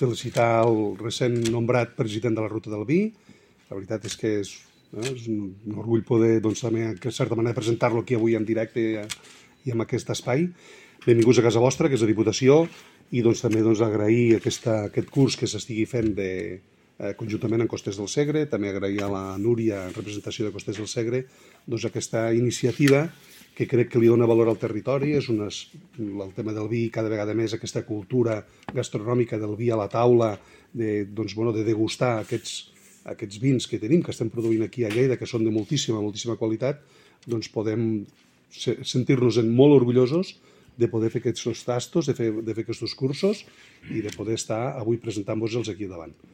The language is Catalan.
felicitar el recent nombrat president de la Ruta del Vi. La veritat és que és un orgull poder, doncs, també, de certa manera, presentar-lo aquí avui en directe i en aquest espai. Benvinguts a casa vostra, que és la Diputació, i doncs, també agrair aquest curs que s'estigui fent conjuntament amb Costers del Segre, també agrair a la Núria, en representació de Costers del Segre, doncs, aquesta iniciativa que crec que li dona valor al territori. És el tema del vi, cada vegada més aquesta cultura gastronòmica del vi a la taula, de degustar aquests vins que tenim, que estem produint aquí a Lleida, que són de moltíssima qualitat, doncs podem sentir-nos molt orgullosos de poder fer aquests tastos, de fer aquests cursos i de poder estar avui presentant-vos-els aquí davant.